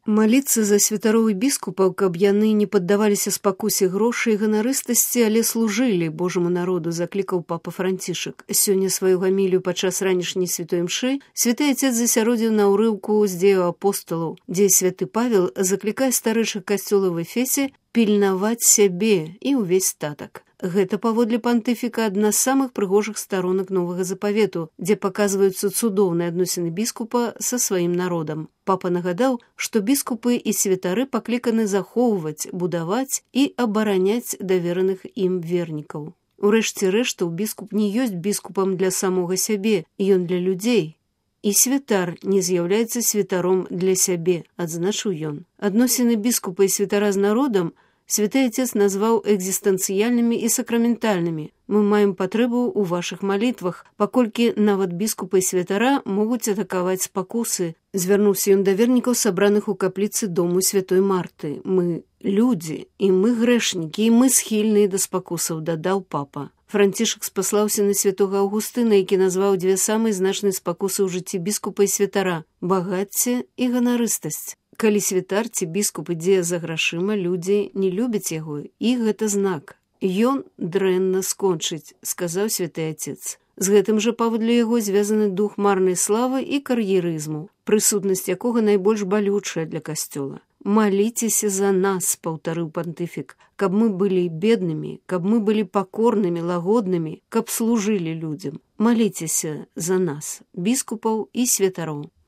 Маліцца за святароў і біскупаў, каб яны не паддаваліся спакусе грошай і ганарыстасці, але служылі Божаму народу, заклікаў папа Францішак. Сёння сваю гамілію падчас ранішняй святой імшы святы Отец засяродзіў на ўрыўку з дзеяў апосталаў, дзе святы Павел заклікае старэйшых касцёла в Эфесе пільнаваць сябе і ўвесь статак. Гэта, паводле пантыфіка, адна з самых прыгожых старонак Новага Запавету, дзе паказваюцца цудоўныя адносіны біскупа са сваім народам. Папа нагадаў, што біскупы і святары пакліканы захоўваць, будаваць і абараняць давераных ім вернікаў. Урэшце рэштаў, біскуп не ёсць біскупам для самога сябе, ён для людзей. І святар не з'яўляецца святаром для сябе, адзначыў ён. Адносіны біскупа і святара з народам Святы Отец назваў экзістэнцыяльнымі і сакраментальнымі. Мы маем патрэбу ў вашых малітвах, паколькі нават біскупа і святара могуць атакаваць спакусы. Звярнуўся ён да вернікаў, сабраных у капліцы дому святой Марты. Мы людзі, і мы грэшнікі, і мы схільныя да спакусаў, дадаў папа. Францішак спаслаўся на святога Аўгустына, які назваў дзве самыя значныя спакусы ў жыцці біскупа і святара – багацце і ганарыстасць. Калі святар ці біскуп ідзе за грашыма, людзі не любяць яго, і гэта знак. Ён дрэнна скончыць, сказаў святы Отец. З гэтым жа паводле яго звязаны дух марнай славы і кар'ерызму, прысутнасць якога найбольш балючая для касцёла. «Маліцеся за нас», паўтарыў пантыфік, «каб мы былі беднымі, каб мы былі пакорнымі, лагоднымі, каб служылі людзям. Маліцеся за нас, біскупаў і святароў».